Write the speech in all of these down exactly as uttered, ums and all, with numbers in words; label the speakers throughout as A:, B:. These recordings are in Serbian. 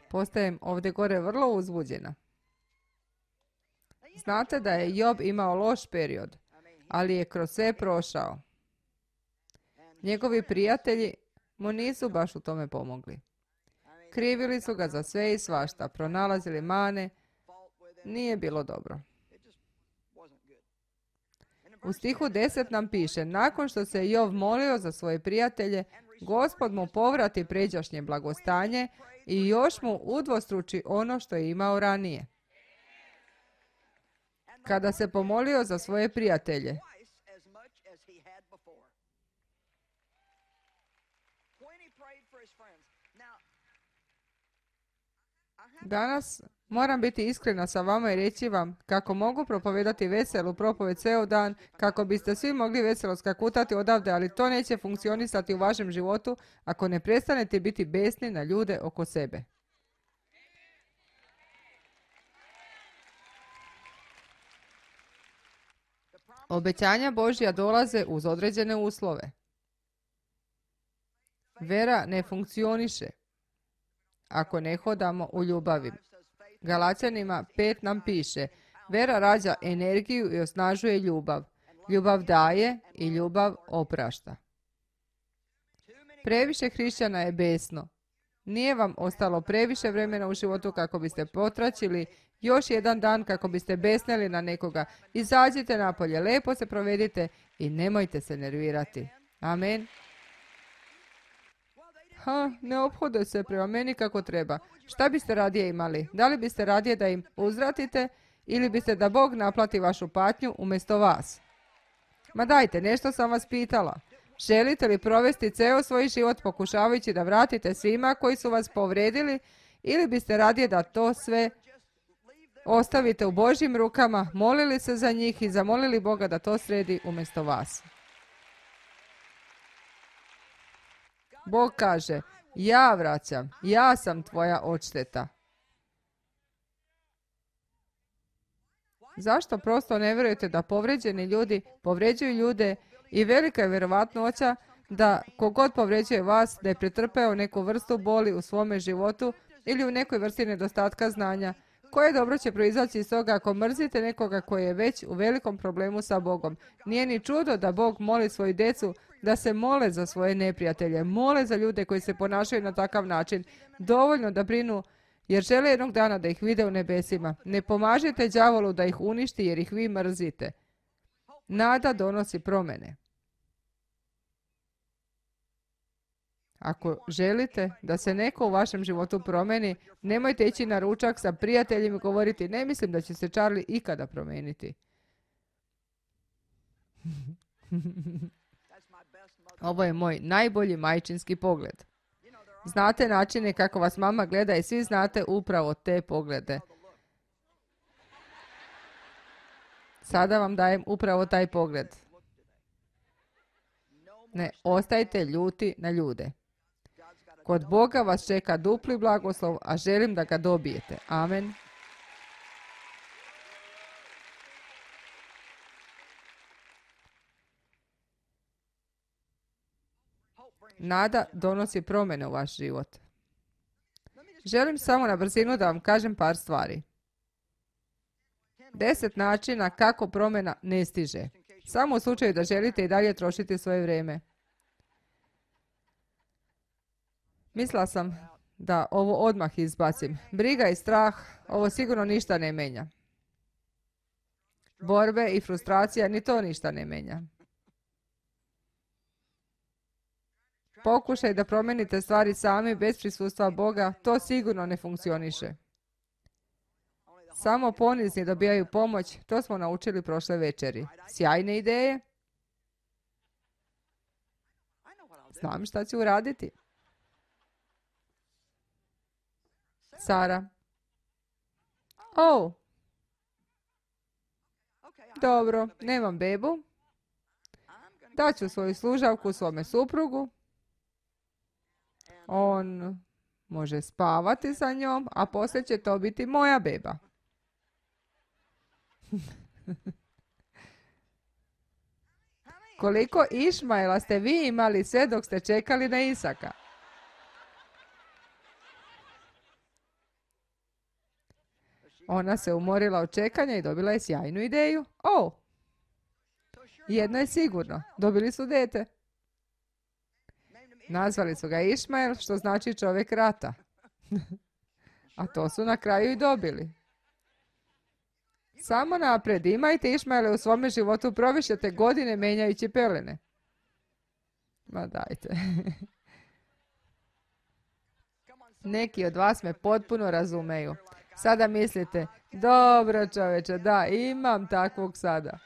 A: Postajem ovdje gore vrlo uzbuđena. Znate da je Job imao loš period, ali je kroz sve prošao. Njegovi prijatelji mu nisu baš u tome pomogli. Krivili su ga za sve i svašta, pronalazili mane, nije bilo dobro. U stihu deset nam piše, nakon što se Job molio za svoje prijatelje, Gospod mu povrati pređašnje blagostanje i još mu udvostruči ono što je imao ranije. Kada se pomolio za svoje prijatelje, danas moram biti iskrena sa vama i reći vam kako mogu propovedati veselu propoved ceo dan, kako biste svi mogli veselo skakutati odavde, ali to neće funkcionisati u vašem životu ako ne prestanete biti besni na ljude oko sebe. Obećanja Božja dolaze uz određene uslove. Vera ne funkcioniše ako ne hodamo u ljubavi. Galačanima pet nam piše, vera rađa energiju i osnažuje ljubav. Ljubav daje i ljubav oprašta. Previše hrišćana je besno. Nije vam ostalo previše vremena u životu kako biste potračili još jedan dan kako biste besneli na nekoga. Izađite napolje, lepo se provedite i nemojte se nervirati. Amen. Ha, ne ophode se prema meni kako treba. Šta biste radije imali? Da li biste radije da im uzvratite ili biste da Bog naplati vašu patnju umjesto vas? Ma dajte, nešto sam vas pitala. Želite li provesti ceo svoj život pokušavajući da vratite svima koji su vas povredili ili biste radije da to sve ostavite u Božjim rukama, molili se za njih i zamolili Boga da to sredi umjesto vas? Bog kaže, ja vraćam, ja sam tvoja odšteta. Zašto prosto ne vjerujete da povređeni ljudi povređuju ljude i velika je vjerovatnoća da kogod povređuje vas da je pretrpeo neku vrstu boli u svome životu ili u nekoj vrsti nedostatka znanja? Koje dobro će proizaći iz toga ako mrzite nekoga koji je već u velikom problemu sa Bogom? Nije ni čudo da Bog moli svoju djecu da se mole za svoje neprijatelje, mole za ljude koji se ponašaju na takav način, dovoljno da brinu jer žele jednog dana da ih vide u nebesima. Ne pomažite đavolu da ih uništi jer ih vi mrzite. Nada donosi promjene. Ako želite da se neko u vašem životu promijeni, nemojte ići na ručak sa prijateljima i govoriti, ne mislim da će se Charlie ikada promijeniti. Ovo je moj najbolji majčinski pogled. Znate načine kako vas mama gleda i svi znate upravo te poglede. Sada vam dajem upravo taj pogled. Ne ostajte ljuti na ljude. Kod Boga vas čeka dupli blagoslov, a želim da ga dobijete. Amen. Nada donosi promjene u vaš život. Želim samo na brzinu da vam kažem par stvari. Deset načina kako promjena ne stiže. Samo u slučaju da želite i dalje trošiti svoje vrijeme. Mislila sam da ovo odmah izbacim. Briga i strah, ovo sigurno ništa ne menja. Borbe i frustracija, ni to ništa ne menja. Pokušaj da promijenite stvari sami bez prisustva Boga, to sigurno ne funkcioniše. Samo ponizni dobijaju pomoć, to smo naučili prošle večeri. Sjajne ideje? Znam šta ću uraditi. Sara. O, dobro, nemam bebu. Daću svoju služavku svome suprugu. On može spavati sa njom, a poslije će to biti moja beba. Koliko Išmaela ste vi imali sve dok ste čekali na Isaka? Ona se umorila od čekanja i dobila je sjajnu ideju. O, jedno je sigurno, dobili su dete. Nazvali su ga Išmael, što znači čovjek rata. A to su na kraju i dobili. Samo naprijed, imajte Išmaele u svome životu, provišete godine menjajući pelene. Ma dajte. Neki od vas me potpuno razumeju. Sada mislite, dobro čoveče, da, imam takvog sada.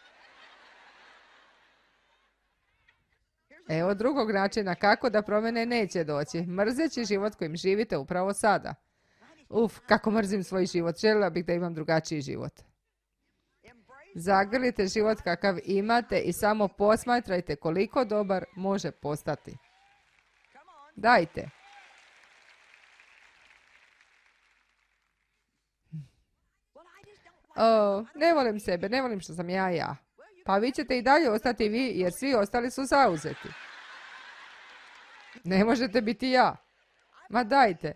A: Evo drugog načina kako da promjene neće doći. Mrzeći život kojim živite upravo sada. Uf, kako mrzim svoj život. Željela bih da imam drugačiji život. Zagrlite život kakav imate i samo posmatrajte koliko dobar može postati. Dajte. O, ne volim sebe, ne volim što sam ja ja. Pa vi ćete i dalje ostati vi, jer svi ostali su zauzeti. Ne možete biti ja. Ma dajte.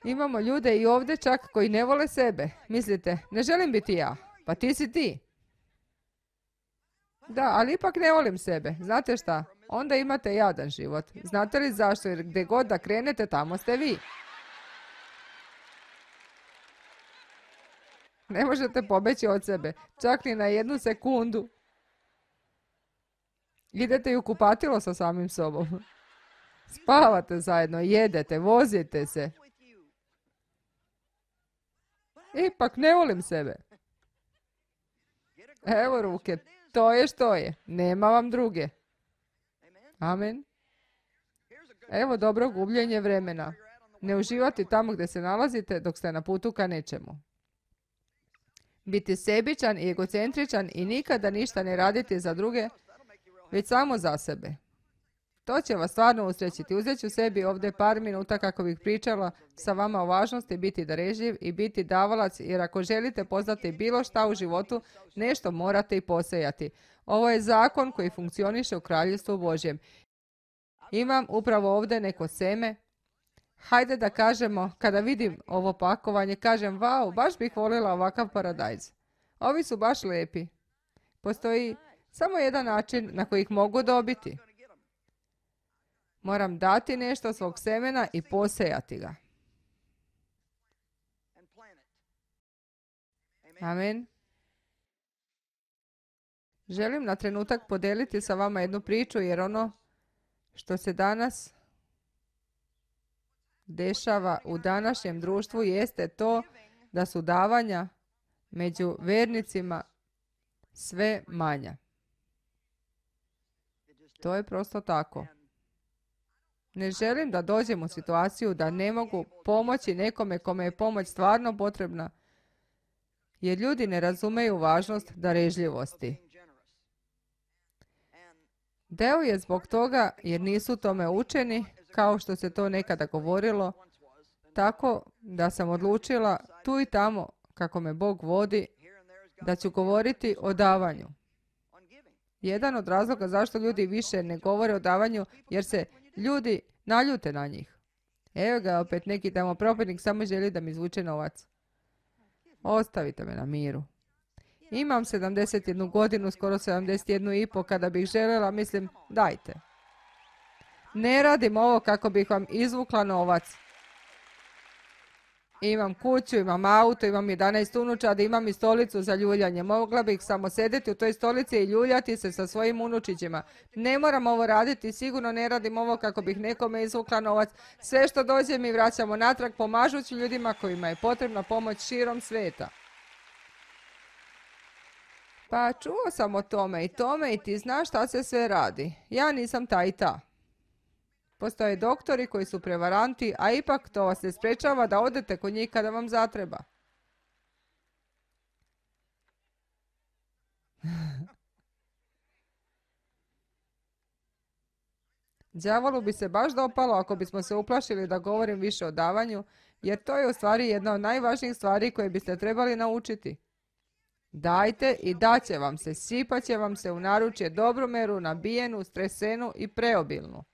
A: Imamo ljude i ovdje čak koji ne vole sebe. Mislite, ne želim biti ja. Pa ti si ti. Da, ali ipak ne volim sebe. Znate šta? Onda imate jadan život. Znate li zašto? Jer gdje god da krenete, tamo ste vi. Ne možete pobeći od sebe. Čak ni na jednu sekundu. Idete i u kupatilo sa samim sobom. Spavate zajedno, jedete, vozite se. Ipak ne volim sebe. Evo ruke, to je što je. Nema vam druge. Amen. Evo dobro gubljenje vremena. Ne uživati tamo gdje se nalazite dok ste na putu ka nečemu. Biti sebičan i egocentričan i nikada ništa ne raditi za druge, već samo za sebe. To će vas stvarno usrećiti. Uzet ću sebi ovdje par minuta kako bih pričala sa vama o važnosti biti darežljiv i biti davalac, jer ako želite poznati bilo šta u životu, nešto morate i posejati. Ovo je zakon koji funkcioniše u Kraljevstvu Božjem. Imam upravo ovdje neko seme. Hajde da kažemo, kada vidim ovo pakovanje, kažem, vau, baš bih voljela ovakav paradajz. Ovi su baš lijepi. Postoji samo jedan način na koji ih mogu dobiti. Moram dati nešto svog semena i posejati ga. Amen. Želim na trenutak podeliti sa vama jednu priču, jer ono što se danas dešava u današnjem društvu jeste to da su davanja među vernicima sve manja. To je prosto tako. Ne želim da dođem u situaciju da ne mogu pomoći nekome kome je pomoć stvarno potrebna, jer ljudi ne razumeju važnost darežljivosti. Deo je zbog toga jer nisu tome učeni, kao što se to nekada govorilo, tako da sam odlučila tu i tamo, kako me Bog vodi, da ću govoriti o davanju. Jedan od razloga zašto ljudi više ne govore o davanju, jer se ljudi naljute na njih. Evo ga opet neki tamo propadnik samo želi da mi izvuče novac. Ostavite me na miru. Imam sedamdeset jednu godinu, skoro sedamdeset jednu i po, kada bih željela, mislim, dajte. Ne radim ovo kako bih vam izvukla novac. Imam kuću, imam auto, imam jedanaest unučadi, imam i stolicu za ljuljanje. Mogla bih samo sedeti u toj stolici i ljuljati se sa svojim unučićima. Ne moram ovo raditi, sigurno ne radim ovo kako bih nekome izvukla novac. Sve što dođe mi vraćamo natrag, pomažući ljudima kojima je potrebna pomoć širom svijeta. Pa čuo sam o tome i tome i ti znaš šta se sve radi. Ja nisam ta i ta. Postoje doktori koji su prevaranti, a ipak to vas ne sprečava da odete kod njih kada vam zatreba. Đavolu bi se baš dopalo ako bismo se uplašili da govorim više o davanju, jer to je u stvari jedna od najvažnijih stvari koje biste trebali naučiti. Dajte i daće vam se, sipaće vam se u naručje dobromeru, nabijenu, stresenu i preobilnu.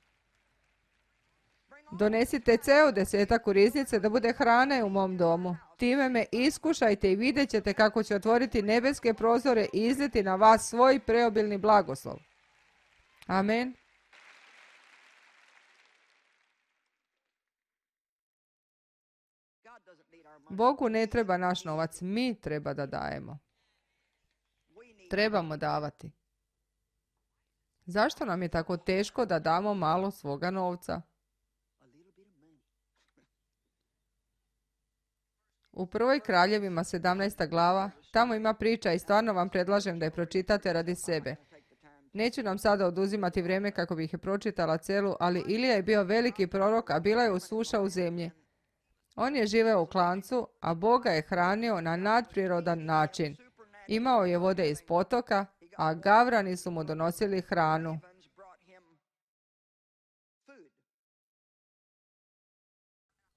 A: Donesite ceo desetak u riznice da bude hrane u mom domu. Time me iskušajte i vidjet ćete kako će otvoriti nebeske prozore i izliti na vas svoj preobilni blagoslov. Amen. Bogu ne treba naš novac, mi treba da dajemo. Trebamo davati. Zašto nam je tako teško da damo malo svoga novca? U prvoj Kraljevima sedamnaesta glava, tamo ima priča i stvarno vam predlažem da je pročitate radi sebe. Neću nam sada oduzimati vrijeme kako bih je pročitala celu, ali Ilija je bio veliki prorok, a bila je usuša u zemlji. On je živeo u klancu, a Boga je hranio na nadprirodan način. Imao je vode iz potoka, a gavrani su mu donosili hranu.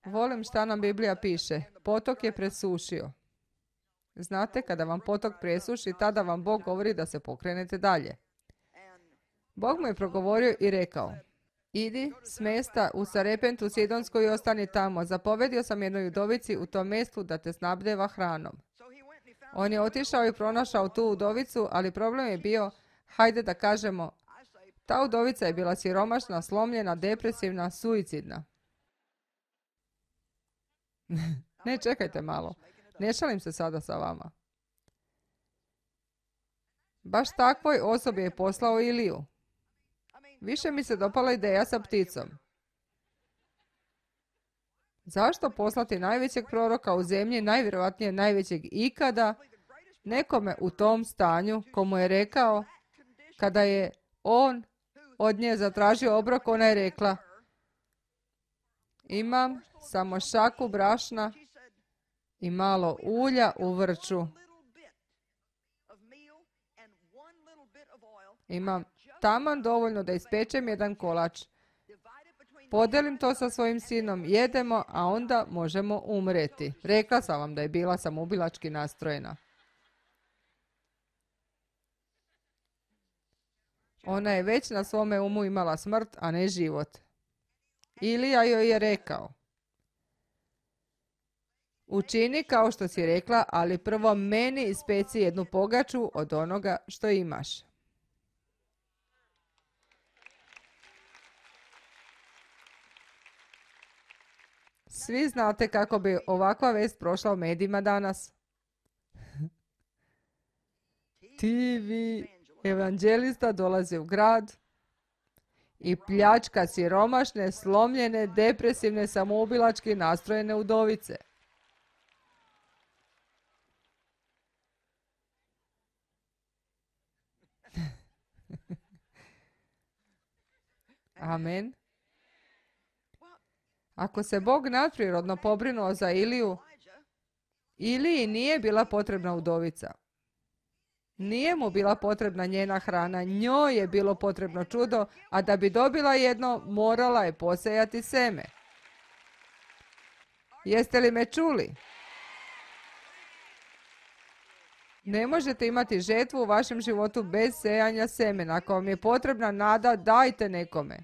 A: Volim šta nam Biblija piše. Potok je presušio. Znate, kada vam potok presuši, tada vam Bog govori da se pokrenete dalje. Bog mu je progovorio i rekao: idi s mesta u Sarepentu Sidonskoj i ostani tamo. Zapovedio sam jednoj udovici u tom mjestu da te snabdeva hranom. On je otišao i pronašao tu udovicu, ali problem je bio, hajde da kažemo, ta udovica je bila siromašna, slomljena, depresivna, suicidna. Ne, čekajte malo. Ne šalim se sada sa vama. Baš takvoj osobi je poslao Iliju. Više mi se dopala ideja sa pticom. Zašto poslati najvećeg proroka u zemlji, najvjerojatnije najvećeg ikada, nekome u tom stanju, komu je rekao, kada je on od nje zatražio obrok, ona je rekla: imam samo šaku brašna i malo ulja u vrču. Imam taman dovoljno da ispečem jedan kolač. Podelim to sa svojim sinom, jedemo, a onda možemo umreti. Rekla sam vam da je bila samoubilački nastrojena. Ona je već na svome umu imala smrt, a ne život. Ilija joj je rekao: učini kao što si rekla, ali prvo meni ispeci jednu pogaču od onoga što imaš. Svi znate kako bi ovakva vest prošla u medijima danas. T V evanđelista dolazi u grad i pljačka siromašne, slomljene, depresivne, samoubilački nastrojene udovice. Amen. Ako se Bog nadprirodno pobrinuo za Iliju, Iliji nije bila potrebna udovica. Nije mu bila potrebna njena hrana, njoj je bilo potrebno čudo, a da bi dobila jedno, morala je posejati seme. Jeste li me čuli? Ne možete imati žetvu u vašem životu bez sejanja semena. Ako vam je potrebna nada, dajte nekome.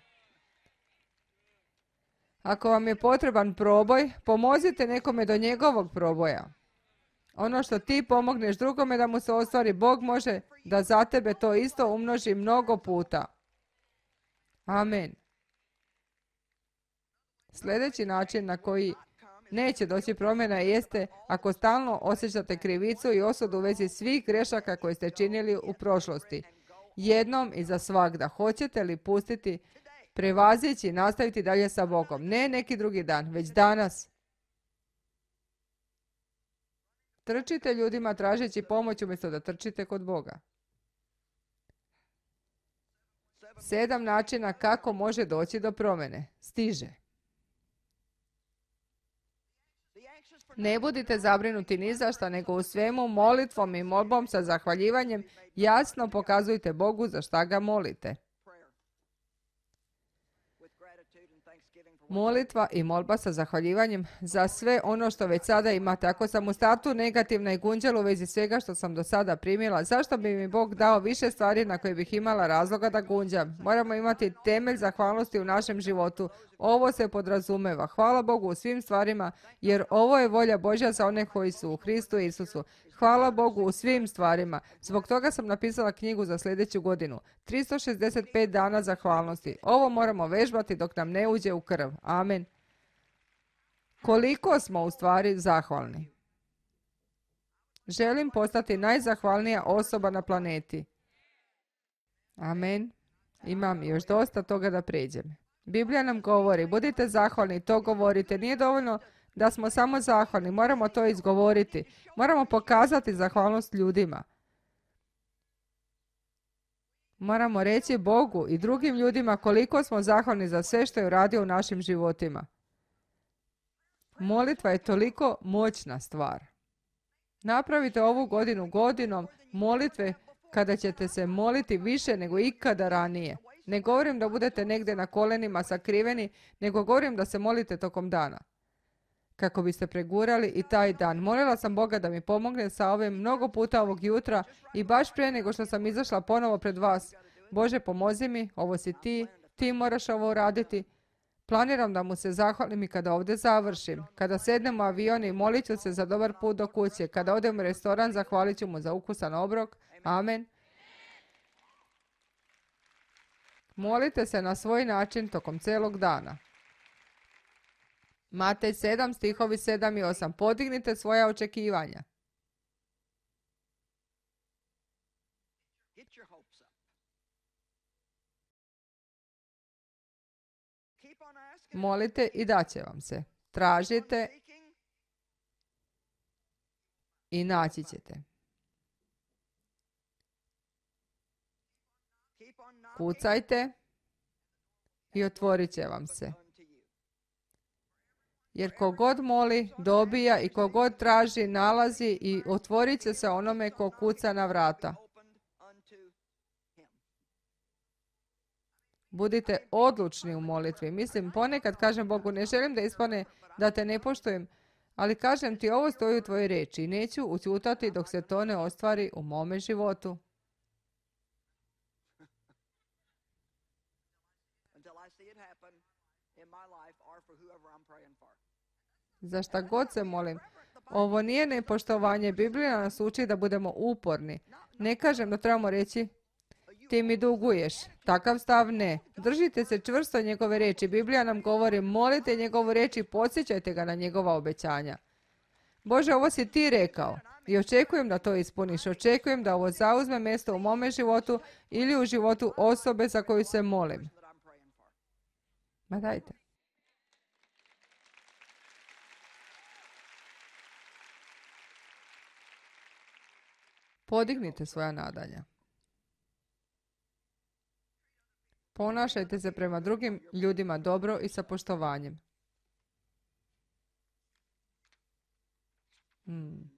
A: Ako vam je potreban proboj, pomozite nekome do njegovog proboja. Ono što ti pomogneš drugome da mu se ostvari, Bog može da za tebe to isto umnoži mnogo puta. Amen. Sljedeći način na koji neće doći promjena jeste ako stalno osjećate krivicu i osudu u vezi svih grešaka koje ste činili u prošlosti. Jednom i za svagda. Hoćete li pustiti, prevazići i nastaviti dalje sa Bogom? Ne neki drugi dan, već danas. Trčite ljudima tražeći pomoć umjesto da trčite kod Boga. Sedam načina kako može doći do promjene. Stiže. Ne budite zabrinuti ni za šta, nego u svemu molitvom i molbom sa zahvaljivanjem jasno pokazujte Bogu za šta ga molite. molitva i molba sa zahvaljivanjem za sve ono što već sada imate. Ako sam u startu negativna i gunđala u vezi svega što sam do sada primila, zašto bi mi Bog dao više stvari na koje bih imala razloga da gunđam? Moramo imati temelj zahvalnosti u našem životu. Ovo se podrazumeva. Hvala Bogu u svim stvarima, jer ovo je volja Božja za one koji su u Hristu Isusu. Hvala Bogu u svim stvarima. Zbog toga sam napisala knjigu za sljedeću godinu. tristo šezdeset pet dana zahvalnosti. Ovo moramo vežbati dok nam ne uđe u krv. Amen. Koliko smo u stvari zahvalni? Želim postati najzahvalnija osoba na planeti. Amen. Imam još dosta toga da pređem. Biblija nam govori, budite zahvalni, to govorite. Nije dovoljno da smo samo zahvalni, moramo to izgovoriti. Moramo pokazati zahvalnost ljudima. Moramo reći Bogu i drugim ljudima koliko smo zahvalni za sve što je uradio u našim životima. Molitva je toliko moćna stvar. Napravite ovu godinu godinom molitve kada ćete se moliti više nego ikada ranije. Ne govorim da budete negdje na kolenima sakriveni, nego govorim da se molite tokom dana. Kako biste pregurali i taj dan. Molila sam Boga da mi pomogne sa ovim mnogo puta ovog jutra i baš prije nego što sam izašla ponovo pred vas. Bože, pomozi mi, ovo si ti, ti moraš ovo uraditi. Planiram da mu se zahvalim i kada ovdje završim. Kada sednem u avion i molit ću se za dobar put do kuće. Kada odem u restoran, zahvalit ću mu za ukusan obrok. Amen. Molite se na svoj način tokom celog dana. Matej sedam, stihovi sedam i osam. Podignite svoja očekivanja. Molite i daće vam se. Tražite i naći ćete. Kucajte i otvorit će vam se. Jer kogod moli, dobija i kogod traži, nalazi i otvorit će se onome ko kuca na vrata. Budite odlučni u molitvi. Mislim, ponekad kažem Bogu, ne želim da ispane da te ne poštujem, ali kažem ti, ovo stoji u tvojoj reči i neću ućutati dok se to ne ostvari u mome životu. Za šta god se molim. Ovo nije nepoštovanje. Biblija nas uči da budemo uporni. Ne kažem da trebamo reći, ti mi duguješ. Takav stav ne. Držite se čvrsto njegove reči. Biblija nam govori, molite njegovu reč i podsjećajte ga na njegova obećanja. Bože, ovo si ti rekao i očekujem da to ispuniš. Očekujem da ovo zauzme mjesto u mome životu ili u životu osobe za koju se molim. Ma dajte. Podignite svoja nadanja. Ponašajte se prema drugim ljudima dobro i sa poštovanjem. Hmm.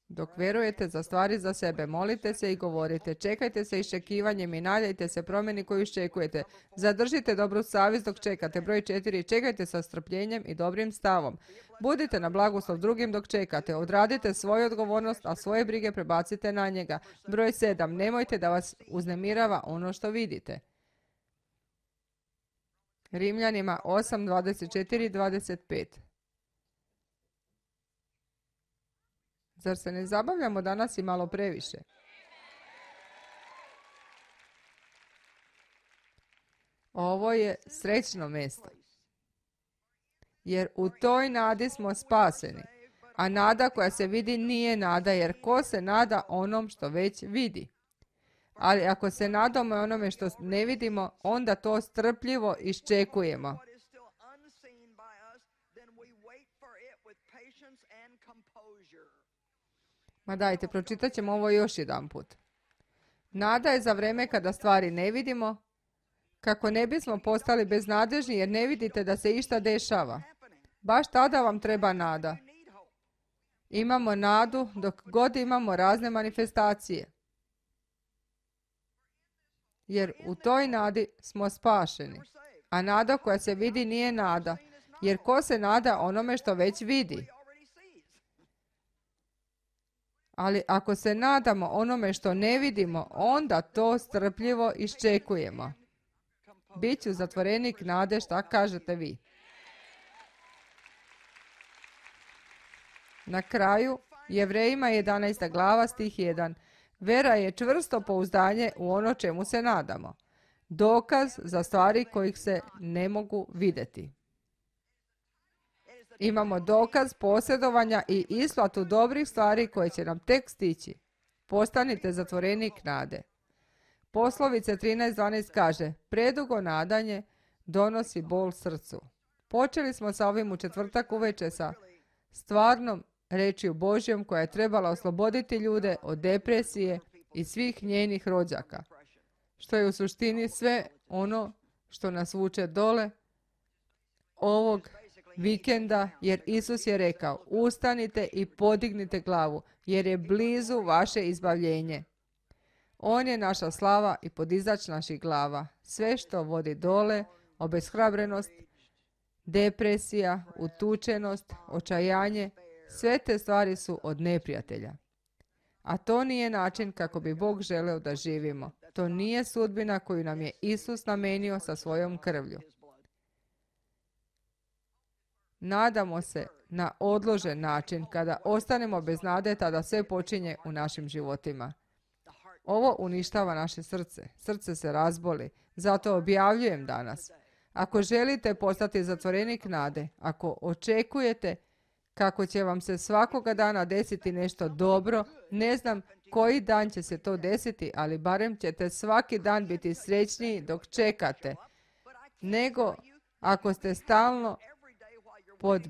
A: Dok vjerujete za stvari za sebe, molite se i govorite. Čekajte se iščekivanjem i nadajte se promjeni koju iščekujete. Zadržite dobru savjest dok čekate. Broj četiri. Čekajte sa strpljenjem i dobrim stavom. Budite na blagoslov drugim dok čekate. Odradite svoju odgovornost, a svoje brige prebacite na njega. Broj sedam. Nemojte da vas uznemirava ono što vidite. Rimljanima osam, dvadeset četiri i dvadeset pet. Zar se ne zabavljamo danas i malo previše? Ovo je srećno mjesto. Jer u toj nadi smo spaseni. A nada koja se vidi nije nada, jer ko se nada onom što već vidi? Ali ako se nadamo onome što ne vidimo, onda to strpljivo iščekujemo. Ma dajte, pročitat ćemo ovo još jedan put. Nada je za vreme kada stvari ne vidimo, kako ne bismo postali beznadežni jer ne vidite da se išta dešava. Baš tada vam treba nada. Imamo nadu dok god imamo razne manifestacije. jer u toj nadi smo spašeni. A nada koja se vidi nije nada, jer ko se nada onome što već vidi? Ali ako se nadamo onome što ne vidimo, onda to strpljivo iščekujemo. Biću zatvorenik nade, šta kažete vi? Na kraju, Jevrejima jedanaesta glava stih jedan. Vera je čvrsto pouzdanje u ono čemu se nadamo. Dokaz za stvari kojih se ne mogu vidjeti. Imamo dokaz posjedovanja i isplatu dobrih stvari koje će nam tek stići. Postanite zatvorenik nade. Poslovice trinaest dvanaest kaže, predugo nadanje donosi bol srcu. Počeli smo sa ovim u četvrtak uveče sa stvarnom rečju Božjom koja je trebala osloboditi ljude od depresije i svih njenih rođaka, što je u suštini sve ono što nas vuče dole ovog vikenda, jer Isus je rekao, ustanite i podignite glavu, jer je blizu vaše izbavljenje. On je naša slava i podizač naših glava. Sve što vodi dole, obeshrabrenost, depresija, utučenost, očajanje, sve te stvari su od neprijatelja. A to nije način kako bi Bog želeo da živimo. To nije sudbina koju nam je Isus namenio sa svojom krvlju. Nadamo se na odložen način. Kada ostanemo bez nade, tada sve počinje u našim životima. Ovo uništava naše srce. Srce se razboli. Zato objavljujem danas. Ako želite postati zatvorenik nade, ako očekujete kako će vam se svakoga dana desiti nešto dobro, ne znam koji dan će se to desiti, ali barem ćete svaki dan biti srećniji dok čekate, nego ako ste stalno pod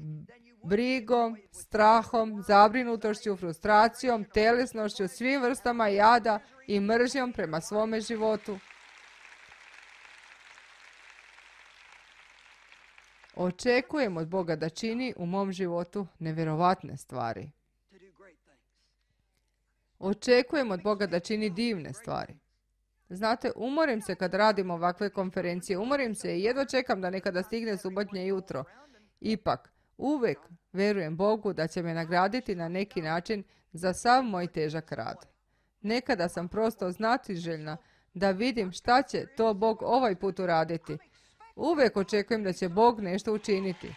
A: brigom, strahom, zabrinutošću, frustracijom, telesnošću, svim vrstama jada i mržnjom prema svome životu. Očekujem od Boga da čini u mom životu nevjerovatne stvari. Očekujem od Boga da čini divne stvari. Znate, umorim se kad radim ovakve konferencije. Umorim se i jedva čekam da nekada stigne subotnje jutro. Ipak, uvijek verujem Bogu da će me nagraditi na neki način za sav moj težak rad. Nekada sam prosto znatiželjna da vidim šta će to Bog ovaj put uraditi. Uvijek očekujem da će Bog nešto učiniti.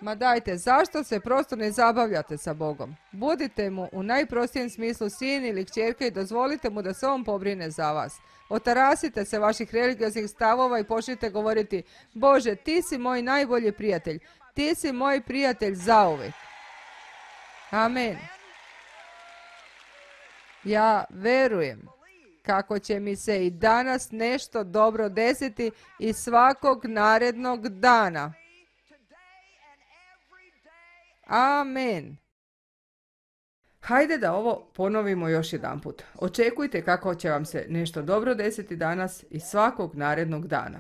A: Ma dajte, zašto se prosto ne zabavljate sa Bogom? Budite mu u najprostijem smislu sin ili kćerke i dozvolite mu da se on pobrine za vas. Otarasite se vaših religioznih stavova i počnite govoriti, Bože, ti si moj najbolji prijatelj. Ti si moj prijatelj zauvijek. Amen. Ja verujem kako će mi se i danas nešto dobro desiti i svakog narednog dana. Amen. Hajde da ovo ponovimo još jedanput. Očekujte kako će vam se nešto dobro desiti danas i svakog narednog dana.